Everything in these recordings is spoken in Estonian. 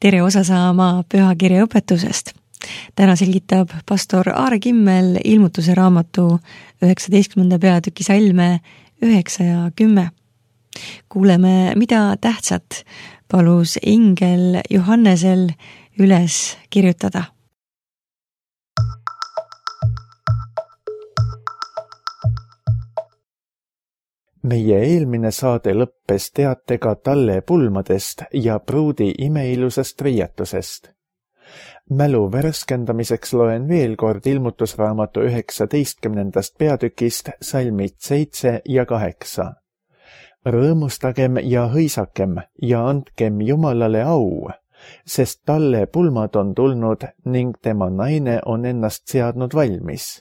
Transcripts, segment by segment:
tere osa saama pühakirja õpetusest. Täna selgitab pastor Aare Kimmel ilmutuse raamatu 19. peatüki salme 9 ja 10. Kuuleme, mida tähtsat palus ingel Johannesel üles kirjutada. Meie eelmine saade lõppes teatega talle pulmadest ja pruudi imeilusast riietusest. Mälu värskendamiseks loen veel kord ilmutusraamatu 19. peatükist salmid 7 ja 8. Rõõmustagem ja hõisakem ja andkem Jumalale au, sest talle pulmad on tulnud ning tema naine on ennast seadnud valmis.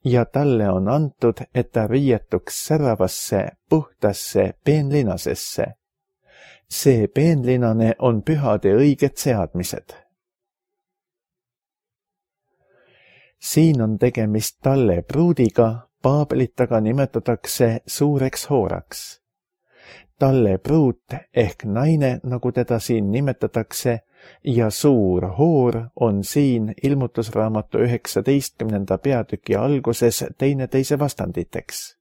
Ja talle on antud, et ta riietuks säravasse, puhtasse peenlinasesse. See peenlinane on pühade õiged seadmised. Siin on tegemist talle pruudiga, Paabelit aga nimetatakse suureks hooraks. Talle pruut ehk naine, nagu teda siin nimetatakse, ja suur hoor on siin ilmutusraamatu 19. peatüki alguses teineteise vastanditeks.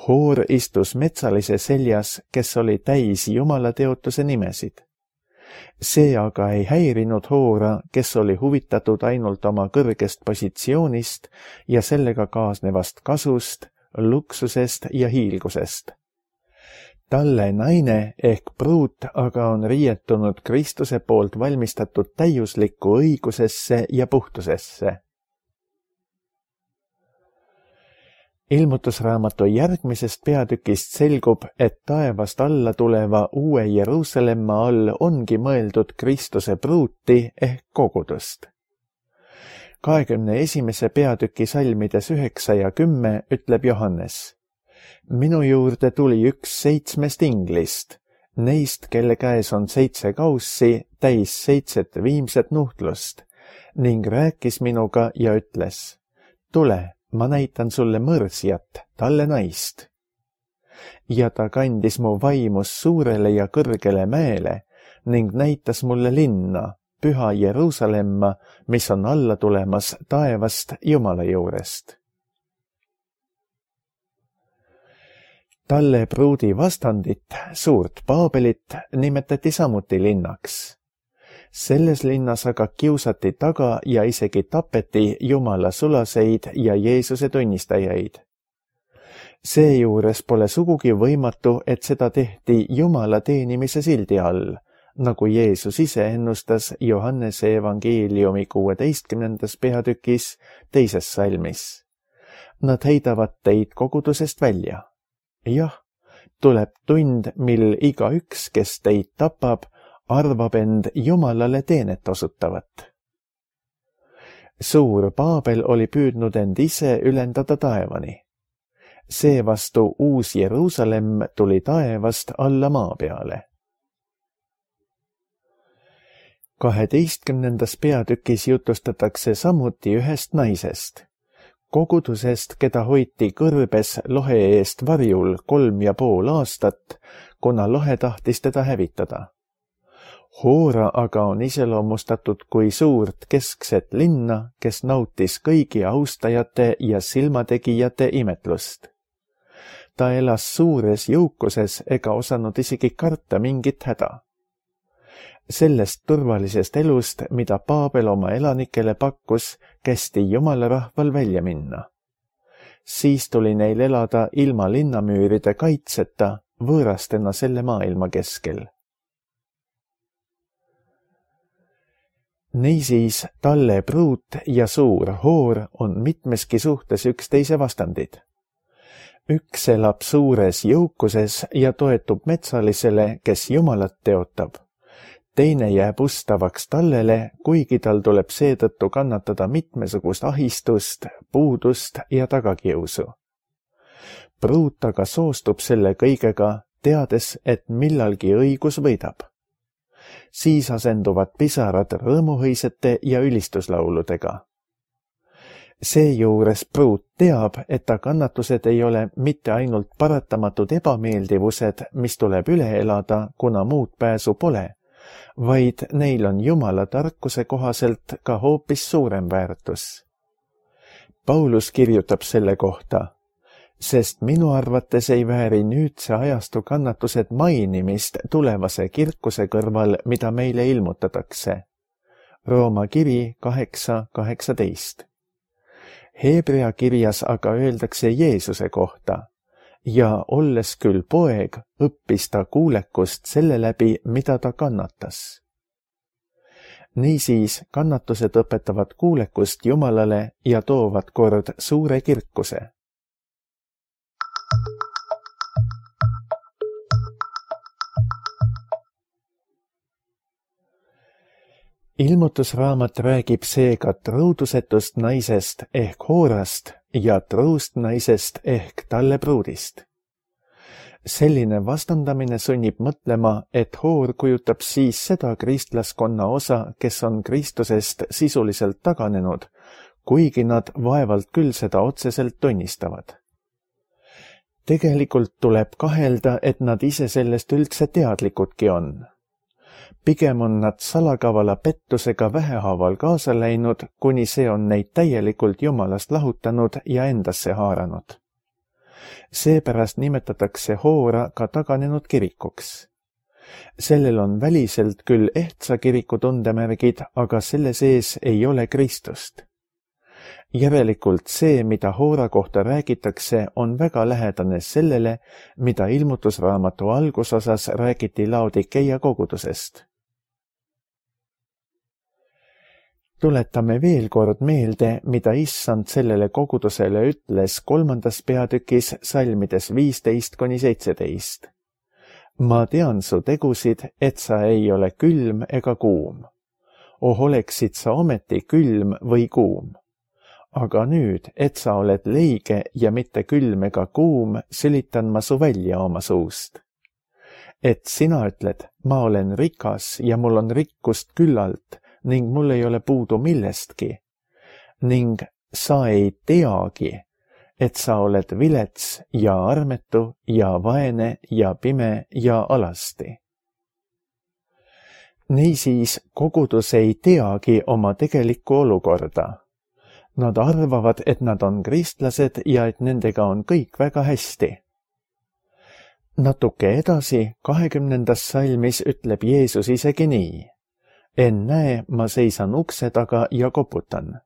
Hoor istus metsalise seljas, kes oli täis Jumala teotuse nimesid. See aga ei häirinud hoora, kes oli huvitatud ainult oma kõrgest positsioonist ja sellega kaasnevast kasust, luksusest ja hiilgusest. Talle naine ehk pruut aga on riietunud Kristuse poolt valmistatud täiuslikku õigusesse ja puhtusesse. Ilmutusraamatu järgmisest peatükist selgub, et taevast alla tuleva uue Jeruusalemma all ongi mõeldud Kristuse pruuti ehk kogudust. 21. peatüki salmides 9 ja 10 ütleb Johannes: Minu juurde tuli üks 7 inglist, neist, kelle käes on 7 kaussi, täis 7 viimset nuhtlust, ning rääkis minuga ja ütles: Tule, ma näitan sulle mõrsjat, talle naist. Ja ta kandis mu vaimus suurele ja kõrgele mäele ning näitas mulle linna, püha Jeruusalemma, mis on alla tulemas taevast Jumala juurest. Talle pruudi vastandit, suurt Paabelit, nimetati samuti linnaks. Selles linnas aga kiusati taga ja isegi tapeti Jumala sulaseid ja Jeesuse tunnistajaid. Seejuures pole sugugi võimatu, et seda tehti Jumala teenimise sildi all, nagu Jeesus ise ennustas Johannese evangeeliumi 16. peatükis 2. salmis. Nad heidavad teid kogudusest välja. Jah, tuleb tund, mil igaüks, kes teid tapab, arvab end Jumalale teenet osutavat. Suur Paabel oli püüdnud end ise ülendada taevani. Seevastu uus Jeruusalemm tuli taevast alla maa peale. 12. peatükis jutustatakse samuti ühest naisest. Kogudusest, keda hoiti kõrbes lohe eest varjul 3,5 aastat, kuna lohe tahtis teda hävitada. Hoora aga on iseloomustatud kui suurt keskset linna, kes nautis kõigi austajate ja silmategijate imetlust. Ta elas suures jõukuses ega osanud isegi karta mingit häda. Sellest turvalisest elust, mida Paabel oma elanikele pakkus, kästi Jumala rahval välja minna. Siis tuli neil elada ilma linnamüüride kaitseta, võõrastena selle maailma keskel. Niisiis, talle pruut ja suur hoor on mitmeski suhtes üksteise vastandid. Üks elab suures jõukuses ja toetub metsalisele, kes Jumalat teotab. Teine jääb ustavaks tallele, kuigi tal tuleb seetõttu kannatada mitmesugust ahistust, puudust ja tagakiusu. Pruut aga soostub selle kõigega, teades, et millalgi õigus võidab. Siis asenduvad pisarad rõõmuhõisete ja ülistuslauludega. Seejuures pruut teab, et ta kannatused ei ole mitte ainult paratamatud ebameeldivused, mis tuleb üle elada, kuna muud pääsu pole, vaid neil on Jumala tarkuse kohaselt ka hoopis suurem väärtus. Paulus kirjutab selle kohta, sest minu arvates ei vääri nüüdse ajastu kannatused mainimist tulevase kirkuse kõrval, mida meile ilmutatakse. Rooma kiri 8:18. Heebrea kirjas aga öeldakse Jeesuse kohta ja olles küll poeg, õppis ta kuulekust selle läbi, mida ta kannatas. Niisiis kannatused õpetavad kuulekust Jumalale ja toovad kord suure kirkuse. Ilmutusraamat räägib seega truudusetust naisest ehk Hoorast ja truust naisest ehk talle pruudist. Selline vastandamine sunnib mõtlema, et Hoor kujutab siis seda kristlaskonna osa, kes on Kristusest sisuliselt taganenud, kuigi nad vaevalt küll seda otseselt tunnistavad. Tegelikult tuleb kahelda, et nad ise sellest üldse teadlikudki on. Pigem on nad salakavala pettusega vähehaaval kaasa läinud, kuni see on neid täielikult Jumalast lahutanud ja endasse haaranud. Seepärast nimetatakse Hoora ka taganenud kirikuks. Sellel on väliselt küll ehtsa kiriku tundemärgid, aga selle sees ei ole Kristust. Järelikult see, mida Hoora kohta räägitakse, on väga lähedane sellele, mida ilmutusraamatu algusosas räägiti Laodikeia kogudusest. Tuletame veel kord meelde, mida Issand sellele kogudusele ütles 3. peatükis salmides 15-17. Ma tean su tegusid, et sa ei ole külm ega kuum. Oleksid sa ometi külm või kuum. Aga nüüd, et sa oled leige ja mitte külm ega kuum, sülitan ma su välja oma suust. Et sina ütled, ma olen rikas ja mul on rikkust küllalt, ning mul ei ole puudu millestki. Ning sa ei teagi, et sa oled vilets ja armetu ja vaene ja pime ja alasti. Niisiis kogudus ei teagi oma tegelikku olukorda. Nad arvavad, et nad on kristlased ja et nendega on kõik väga hästi. Natuke edasi 20. salmis ütleb Jeesus isegi nii. Ennäe, ma seisan ukse taga ja koputan.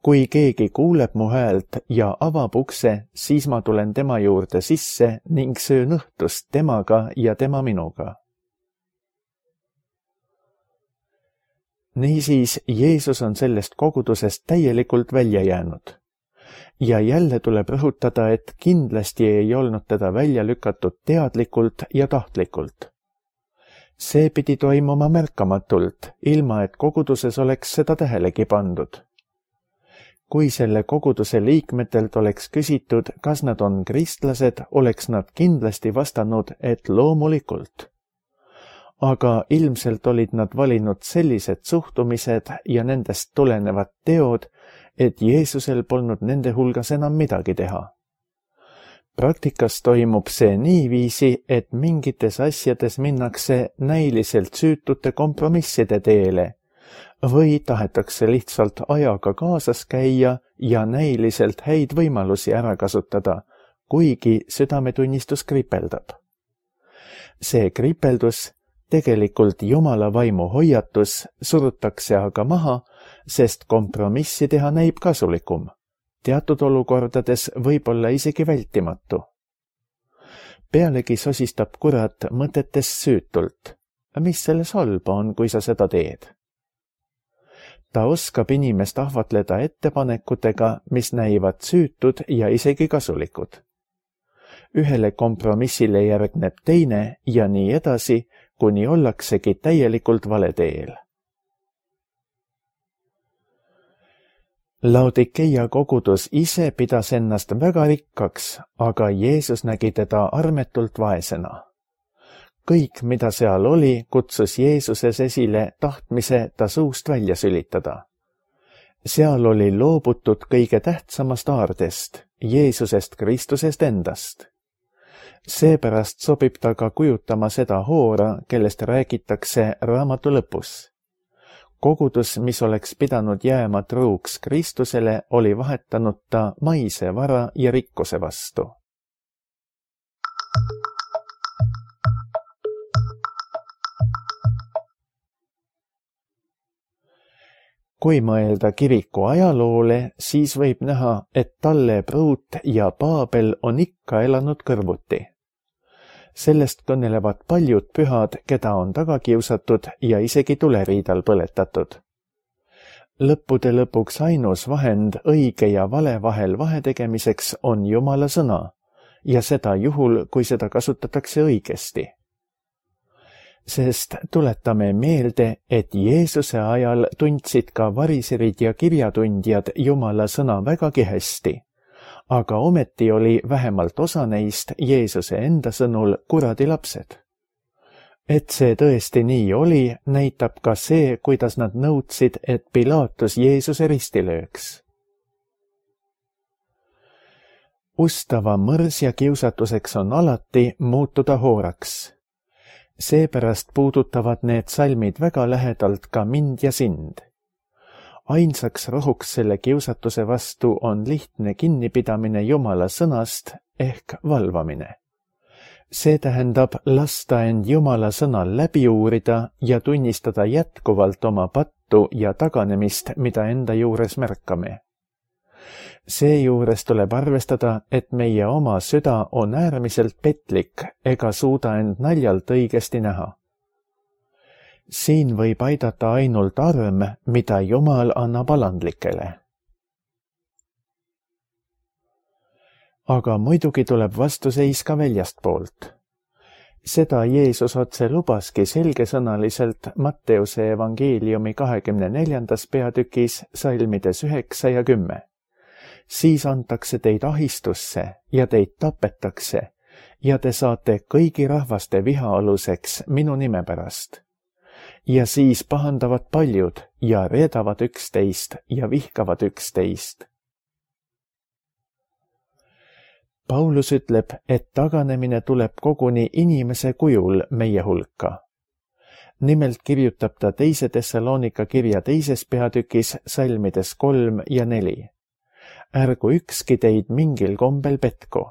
Kui keegi kuuleb mu häält ja avab ukse, siis ma tulen tema juurde sisse ning söön õhtust temaga ja tema minuga. Niisiis, Jeesus on sellest kogudusest täielikult välja jäänud. Ja jälle tuleb rõhutada, et kindlasti ei olnud teda välja lükatud teadlikult ja tahtlikult. See pidi toimuma märkamatult, ilma et koguduses oleks seda tähelegi pandud. Kui selle koguduse liikmetelt oleks küsitud, kas nad on kristlased, oleks nad kindlasti vastanud, et loomulikult. Aga ilmselt olid nad valinud sellised suhtumised ja nendest tulenevad teod, et Jeesusel polnud nende hulgas enam midagi teha. Praktikas toimub see niiviisi, et mingites asjades minnakse näiliselt süütute kompromisside teele või tahetakse lihtsalt ajaga kaasas käia ja näiliselt häid võimalusi ära kasutada, kuigi südametunnistus kripeldab. See kripeldus, tegelikult Jumala vaimu hoiatus, surutakse aga maha, sest kompromissi teha näib kasulikum. Teatud olukordades võib olla isegi vältimatu. Pealegi sosistab kurat mõtetes süütult. Mis selles halba on, kui sa seda teed? Ta oskab inimest ahvatleda ettepanekutega, mis näivad süütud ja isegi kasulikud. Ühele kompromissile järgneb teine ja nii edasi, kuni ollaksegi täielikult vale teel. Laodikeia kogudus ise pidas ennast väga rikkaks, aga Jeesus nägi teda armetult vaesena. Kõik, mida seal oli, kutsus Jeesuses esile tahtmise ta suust välja sülitada. Seal oli loobutud kõige tähtsamast aardest, Jeesusest Kristusest endast. Seepärast sobib ta ka kujutama seda hoora, kellest räägitakse raamatu lõpus. Kogudus, mis oleks pidanud jääma truuks Kristusele, oli vahetanud ta maise vara ja rikkuse vastu. Kui mõelda kiriku ajaloole, siis võib näha, et Talle Pruut ja Paabel on ikka elanud kõrvuti. Sellest kõnelevad paljud pühad, keda on taga kiusatud ja isegi tuleriidal põletatud. Lõppude lõpuks ainus vahend õige ja vale vahel vahetegemiseks on Jumala sõna ja seda juhul, kui seda kasutatakse õigesti. Sest tuletame meelde, et Jeesuse ajal tundsid ka variserid ja kirjatundjad Jumala sõna vägagi hästi, aga ometi oli vähemalt osa neist Jeesuse enda sõnul kuradi lapsed. Et see tõesti nii oli, näitab ka see, kuidas nad nõudsid, et Pilaatus Jeesuse risti lööks. Ustava mõrs ja kiusatuseks on alati muutuda hooraks. Seepärast puudutavad need salmid väga lähedalt ka mind ja sind. Ainsaks rohuks selle kiusatuse vastu on lihtne kinnipidamine Jumala sõnast ehk valvamine. See tähendab lasta end Jumala sõnal läbi uurida ja tunnistada jätkuvalt oma pattu ja taganemist, mida enda juures märkame. Seejuures tuleb arvestada, et meie oma süda on äärmiselt petlik ega suuda end naljalt õigesti näha. Siin võib aidata ainult arm, mida Jumal annab alandlikele. Aga muidugi tuleb vastuseis ka väljastpoolt. Seda Jeesus otse lubaski selgesõnaliselt Matteuse evangeeliumi 24. peatükis salmides 9 ja 10. Siis antakse teid ahistusse ja teid tapetakse ja te saate kõigi rahvaste viha aluseks minu nime pärast. Ja siis pahandavad paljud ja reedavad üksteist ja vihkavad üksteist. Paulus ütleb, et taganemine tuleb koguni inimese kujul meie hulka. Nimelt kirjutab ta 2. Thessalonika kirja 2. peatükis salmides 3 ja 4. Ärgu ükski teid mingil kombel petku,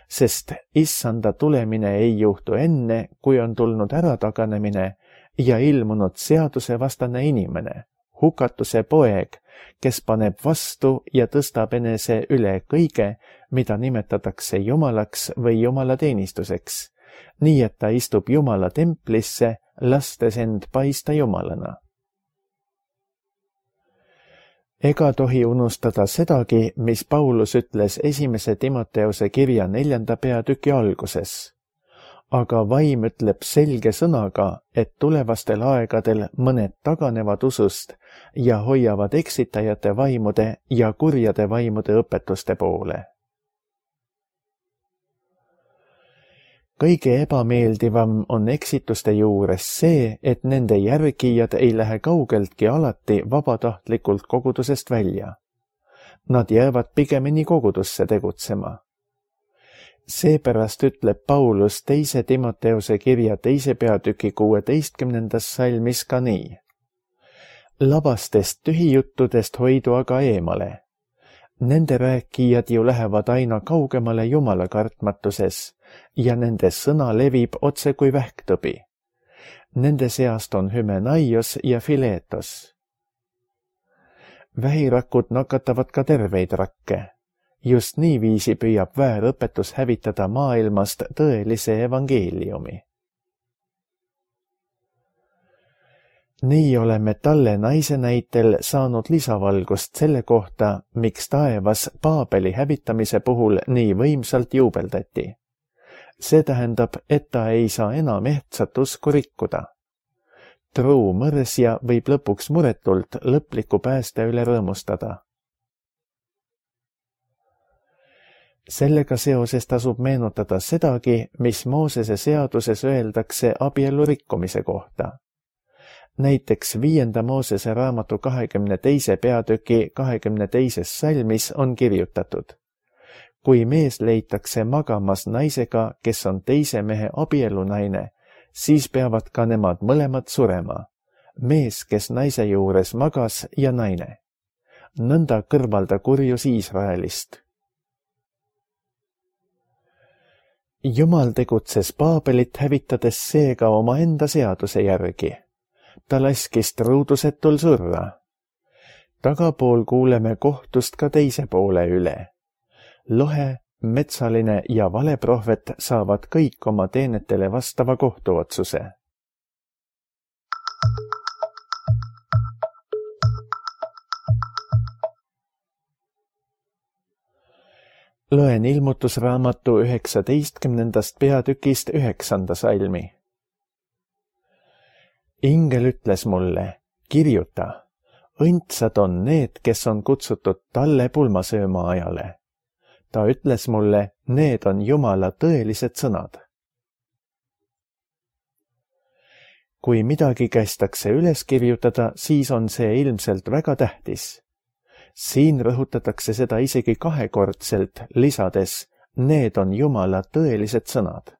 sest issanda tulemine ei juhtu enne, kui on tulnud ärataganemine ja ilmunud seadusevastane inimene, hukatuse poeg, kes paneb vastu ja tõstab enese üle kõige, mida nimetatakse Jumalaks või Jumala teenistuseks, nii et ta istub Jumala templisse, lastes end paista Jumalana. Ega tohi unustada sedagi, mis Paulus ütles 1. Timoteuse kirja 4. peatüki alguses. Aga vaim ütleb selge sõnaga, et tulevastel aegadel mõned taganevad usust ja hoiavad eksitajate vaimude ja kurjade vaimude õpetuste poole. Kõige ebameeldivam on eksituste juures see, et nende järgijad ei lähe kaugeltki alati vabatahtlikult kogudusest välja. Nad jäävad pigemini kogudusse tegutsema. Seepärast ütleb Paulus 2. Timoteuse kirja 2. peatüki 16. salmis ka nii. Labastest tühijuttudest hoidu aga eemale. Nende rääkijad ju lähevad aina kaugemale Jumala kartmatuses ja nende sõna levib otse kui vähktõbi. Nende seast on Hymenaios ja Filetos. Vähirakud nakatavad ka terveid rakke. Just niiviisi püüab väärõpetus hävitada maailmast tõelise evangeeliumi. Nii oleme Talle naise näitel saanud lisavalgust selle kohta, miks taevas Paabeli hävitamise puhul nii võimsalt juubeldati. See tähendab, et ta ei saa enam ehtsat usku rikkuda. Truu mõrsja võib lõpuks muretult lõpliku pääste üle rõõmustada. Sellega seoses tasub meenutada sedagi, mis Moosese seaduses öeldakse abielu rikkumise kohta. Näiteks 5. Moosese raamatu 22. peatüki 22. salmis on kirjutatud. kui mees leitakse magamas naisega, kes on teise mehe abielunaine, siis peavad ka nemad mõlemad surema, mees, kes naise juures magas ja naine. Nõnda kõrvalda kurjus Iisraelist. Jumal tegutses Paabelit hävitades seega omaenda seaduse järgi. Ta laskis truudusetul surra. Tagapool kuuleme kohtust ka teise poole üle. Lohe, metsaline ja valeprohvet saavad kõik oma teenetele vastava kohtuotsuse. Loen ilmutusraamatu 19. peatükist 9. salmi. Ingel ütles mulle, kirjuta, õndsad on need, kes on kutsutud talle pulmasööma ajale. Ta ütles mulle, need on Jumala tõelised sõnad. Kui midagi kästakse üles kirjutada, siis on see ilmselt väga tähtis. Siin rõhutatakse seda isegi kahekordselt, lisades, need on Jumala tõelised sõnad.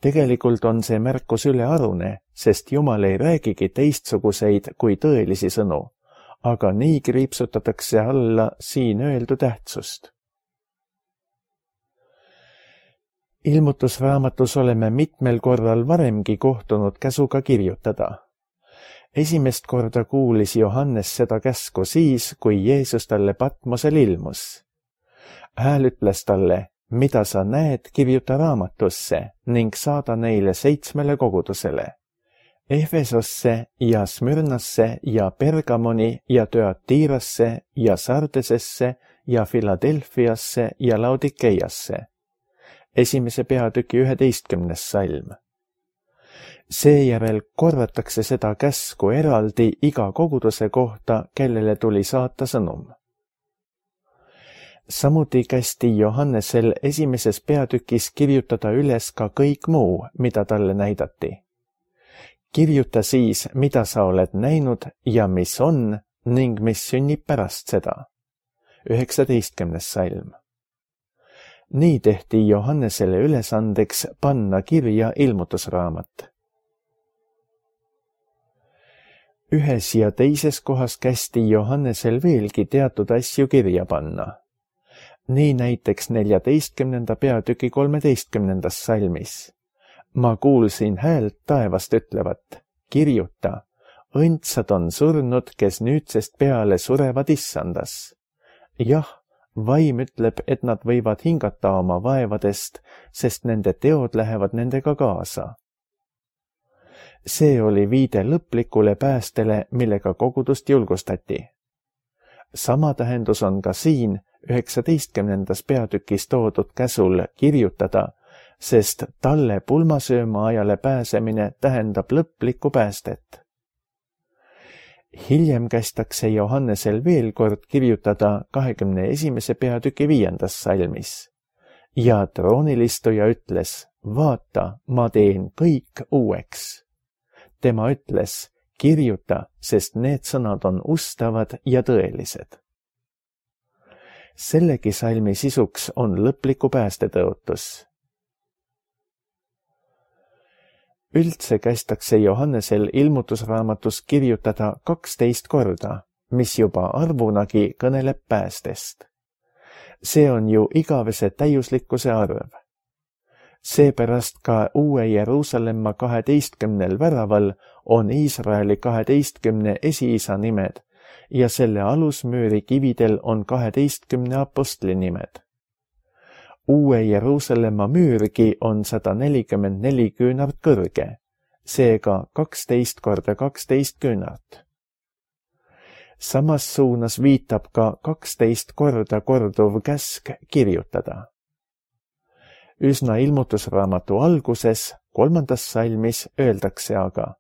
Tegelikult on see märkus ülearune, sest Jumal ei räägigi teistsuguseid kui tõelisi sõnu, aga nii kriipsutatakse alla siin öeldu tähtsust. Ilmutusraamatus oleme mitmel korral varemgi kohtunud käsuga kirjutada. Esimest korda kuulis Johannes seda käsku siis, kui Jeesus talle Patmosel ilmus. Hääl ütles talle, mida sa näed, kirjuta raamatusse ning saada neile 7 kogudusele. Efesosse ja Smyrnasse ja Pergamoni ja Thyatirasse ja Sardesesse ja Filadelfiasse ja Laodikeiasse. 1. peatüki 11. salm. Seejärel korratakse seda käsku eraldi iga koguduse kohta, kellele tuli saata sõnum. Samuti kästi Johannesel 1. peatükis kirjutada üles ka kõik muu, mida talle näidati. Kirjuta siis, mida sa oled näinud ja mis on ning mis sünnib pärast seda. 19. salm. Nii tehti Johannesele ülesandeks panna kirja ilmutusraamat. Ühes ja teises kohas kästi Johannesel veelgi teatud asju kirja panna. Nii näiteks 14. peatüki 13. salmis. Ma kuulsin häält taevast ütlevat, kirjuta, õndsad on surnud, kes nüüdsest peale surevad issandas. Jah, vaim ütleb, et nad võivad hingata oma vaevadest, sest nende teod lähevad nendega kaasa. See oli viide lõplikule päästele, millega kogudust julgustati. Sama tähendus on ka siin 19. peatükis toodud käsul kirjutada, sest talle pulmasööma ajale pääsemine tähendab lõplikku päästet. Hiljem kästakse Johannesel veel kord kirjutada 21. peatüki 5. salmis. Ja troonilistuja ütles, vaata, ma teen kõik uueks. Tema ütles, kirjuta, sest need sõnad on ustavad ja tõelised. Sellegi salmi sisuks on lõpliku päästetõotus. Üldse kästakse Johannesel ilmutusraamatus kirjutada 12 korda, mis juba arvunagi kõneleb päästest. See on ju igavese täiuslikkuse arv. Seepärast ka Uue Jeruusalemma 12 väraval on Iisraeli 12 esiisa nimed ja selle alusmüüri kividel on 12 apostli nimed. Uue Jeruusalemma müürgi on 144 küünart kõrge, seega 12 korda 12 küünart. Samas suunas viitab ka 12 korda korduv käsk kirjutada. Üsna ilmutusraamatu alguses, 3. salmis öeldakse aga,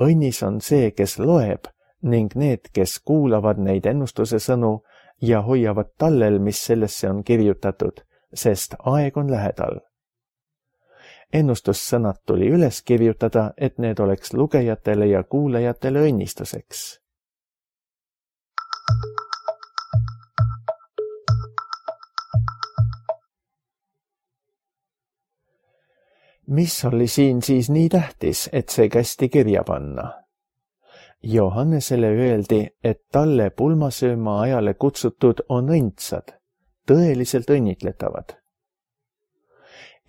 õnnis on see, kes loeb ning need, kes kuulavad neid ennustuse sõnu ja hoiavad tallel, mis sellesse on kirjutatud, sest aeg on lähedal. Ennustussõnad tuli üles kirjutada, et need oleks lugejatele ja kuulajatele õnnistuseks. Mis oli siin siis nii tähtis, et see kästi kirja panna? Johannesele öeldi, et talle pulmasööma ajale kutsutud on õndsad, tõeliselt õnnitletavad.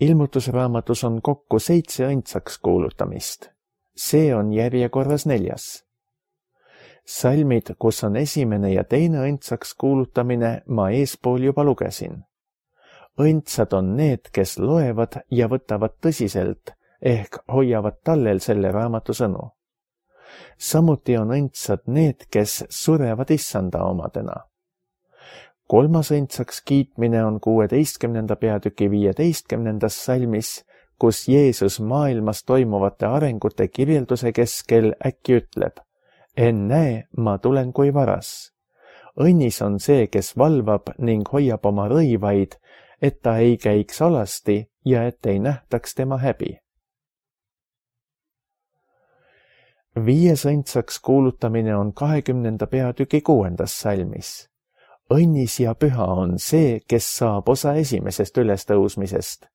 Ilmutusraamatus on kokku 7 õndsaks kuulutamist. See on järjekorras 4. Salmid, kus on esimene ja teine õndsaks kuulutamine, ma eespool juba lugesin. Õndsad on need, kes loevad ja võtavad tõsiselt, ehk hoiavad tallel selle raamatu sõnu. Samuti on õndsad need, kes surevad issanda omadena. 3. õndsaks kiitmine on 16. peatüki 15. salmis, kus Jeesus maailmas toimuvate arengute kirjelduse keskel äkki ütleb: ennäe, ma tulen kui varas. Õnnis on see, kes valvab ning hoiab oma rõivaid, et ta ei käiks alasti ja et ei nähtaks tema häbi. 5. õndsaks kuulutamine on 20. peatüki 6. salmis. Õnnis ja püha on see, kes saab osa esimesest ülestõusmisest.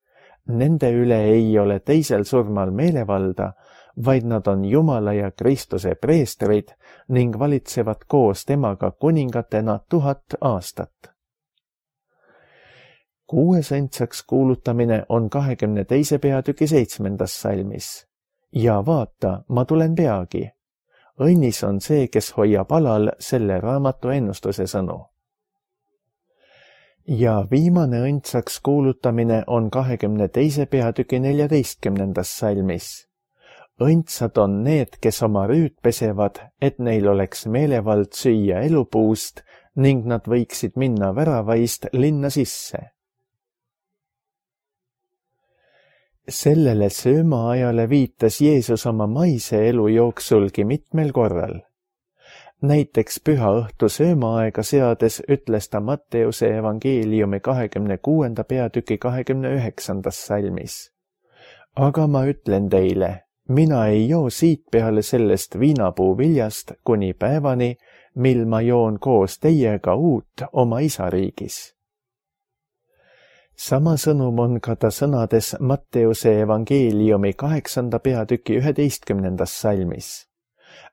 Nende üle ei ole teisel surmal meelevalda, vaid nad on Jumala ja Kristuse preestrid ning valitsevad koos temaga kuningatena 1000 aastat. 6. õndsaks kuulutamine on 22. peatüki 7. salmis. Ja vaata, ma tulen peagi. Õnnis on see, kes hoiab alal selle raamatu ennustuse sõnu. Ja viimane õndsaks kuulutamine on 22. peatüki 14. salmis. Õndsad on need, kes oma rüüd pesevad, et neil oleks meelevald süüa elupuust ning nad võiksid minna väravaist linna sisse. Sellele söömaajale viitas Jeesus oma maise elu jooksulgi mitmel korral. Näiteks püha õhtu söömaaega seades ütles ta Matteuse evangeeliumi 26. peatüki 29. salmis. Aga ma ütlen teile, mina ei joo siit peale sellest viinapuu viljast kuni päevani, mil ma joon koos teiega uut oma isa riigis. Sama sõnum on ka ta sõnades Matteuse evangeeliumi 8. peatüki 11. salmis.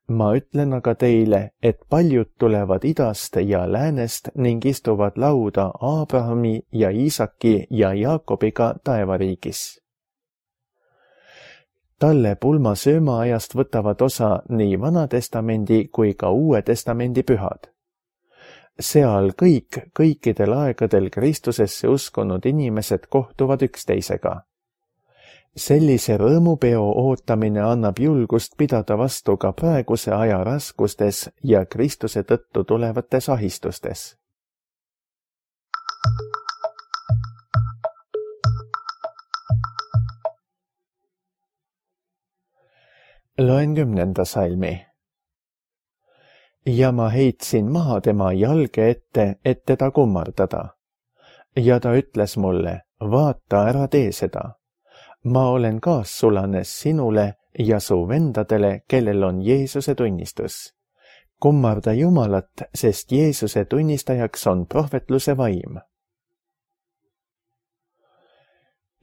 Ma ütlen aga teile, et paljud tulevad idast ja läänest ning istuvad lauda Abrahami ja Iisaki ja Jaakobiga taevariigis. Talle pulma söömaajast võtavad osa nii Vana Testamendi kui ka Uue Testamendi pühad. Seal kõikidel aegadel Kristusesse uskunud inimesed kohtuvad üksteisega. Sellise rõõmupeo ootamine annab julgust pidada vastu ka praeguse aja raskustes ja Kristuse tõttu tulevates ahistustes. Loen 10. salmi. Ja ma heitsin maha tema jalge ette, et teda kummardada. Ja ta ütles mulle, vaata, ära tee seda. Ma olen kaassulanes sinule ja su vendadele, kellel on Jeesuse tunnistus. Kummarda Jumalat, sest Jeesuse tunnistajaks on prohvetluse vaim.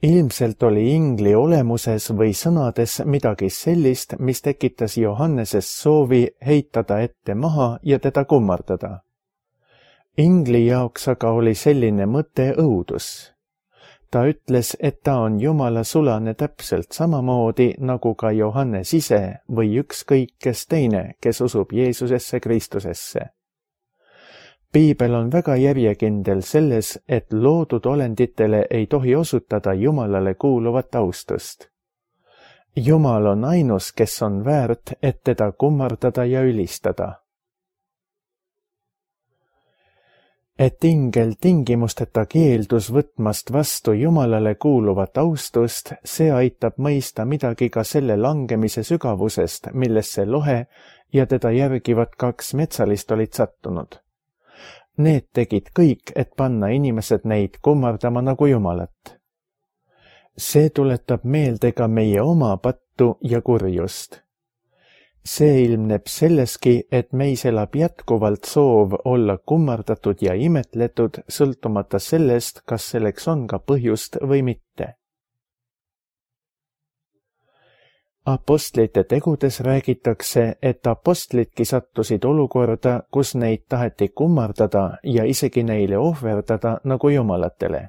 Ilmselt oli ingli olemuses või sõnades midagi sellist, mis tekitas Johanneses soovi heitada ette maha ja teda kummardada. Ingli jaoks aga oli selline mõte õudus. Ta ütles, et ta on Jumala sulane täpselt samamoodi nagu ka Johannes ise või ükskõik kes teine, kes usub Jeesusesse Kristusesse. Piibel on väga järjekindel selles, et loodud olenditele ei tohi osutada Jumalale kuuluvat austust. Jumal on ainus, kes on väärt, et teda kummardada ja ülistada. Et ingel tingimusteta keeldus võtmast vastu Jumalale kuuluvat austust, see aitab mõista midagi ka selle langemise sügavusest, millesse lohe ja teda järgivad 2 metsalist olid sattunud. Need tegid kõik, et panna inimesed neid kummardama nagu Jumalat. See tuletab meelde ka meie oma pattu ja kurjust. See ilmneb selleski, et meis elab jätkuvalt soov olla kummardatud ja imetletud, sõltumata sellest, kas selleks on ka põhjust või mitte. Apostlite tegudes räägitakse, et apostlidki sattusid olukorda, kus neid taheti kummardada ja isegi neile ohverdada nagu jumalatele.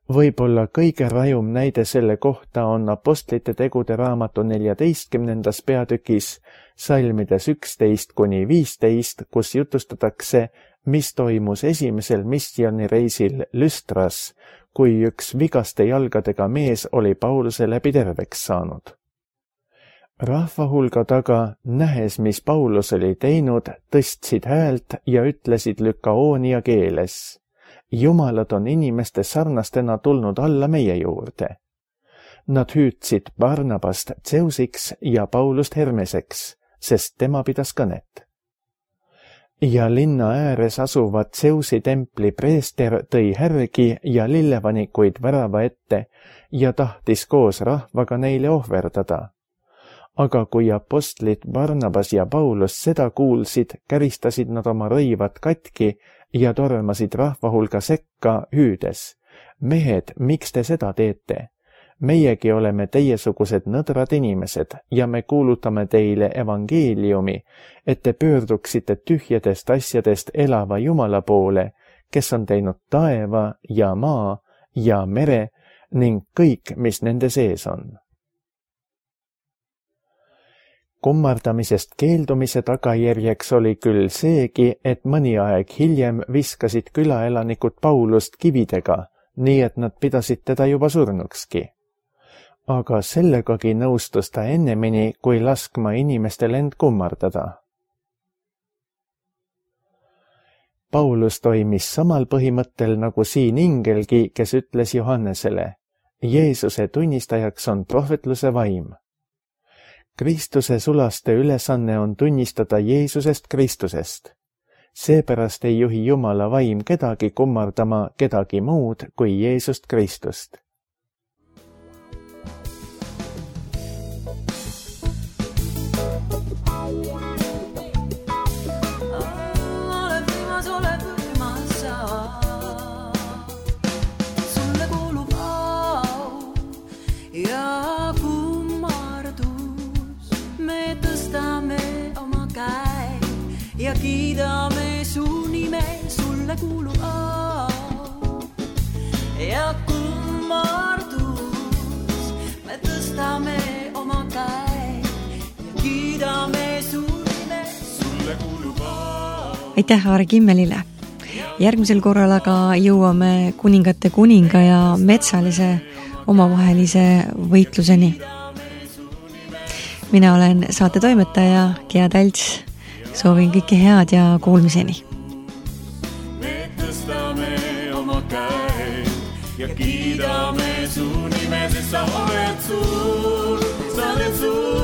Võib-olla kõige rajum näide selle kohta on Apostlite tegude raamatu 14. peatükis salmides 11-15, kus jutustatakse, mis toimus esimesel missioonireisil Lüstras, kui üks vigaste jalgadega mees oli Pauluse läbi terveks saanud. Rahva hulga taga, nähes, mis Paulus oli teinud, tõstsid häält ja ütlesid Lükaoonia keeles. Jumalad on inimeste sarnastena tulnud alla meie juurde. Nad hüüdsid Barnabast Zeusiks ja Paulust Hermeseks, sest tema pidas kõnet. Ja linna ääres asuvad Zeusi templi preester tõi härgi ja lillevanikuid värava ette ja tahtis koos rahvaga neile ohverdada. Aga kui apostlid Barnabas ja Paulus seda kuulsid, käristasid nad oma rõivad katki ja tormasid rahva hulga sekka hüüdes. Mehed, miks te seda teete? Meiegi oleme teiesugused nõdrad inimesed ja me kuulutame teile evangeeliumi, et te pöörduksite tühjadest asjadest elava Jumala poole, kes on teinud taeva ja maa ja mere ning kõik, mis nende sees on. Kummardamisest keeldumise tagajärjeks oli küll seegi, et mõni aeg hiljem viskasid külaelanikud Paulust kividega, nii et nad pidasid teda juba surnukski. Aga sellegagi nõustus ta ennemini, kui laskma inimestel end kummardada. Paulus toimis samal põhimõttel nagu siin ingelgi, kes ütles Johannesele, Jeesuse tunnistajaks on prohvetluse vaim. Kristuse sulaste ülesanne on tunnistada Jeesusest Kristusest. Seepärast ei juhi Jumala vaim kedagi kummardama kedagi muud kui Jeesust Kristust. Ja kiidame su nime, sulle kuulub au ja kummardus. Me tõstame oma käe ja kiidame su nime, sulle kuulub au. Aitäh Aare Kimmelile! Järgmisel korral aga jõuame kuningate kuninga ja metsalise omavahelise võitluseni. Mina olen saate toimetaja Gea Talts. Soovin kõike head ja kuulmiseni. Me tõstame oma käe ja kiidame su nime, sest sa oled suur, sa oled suur.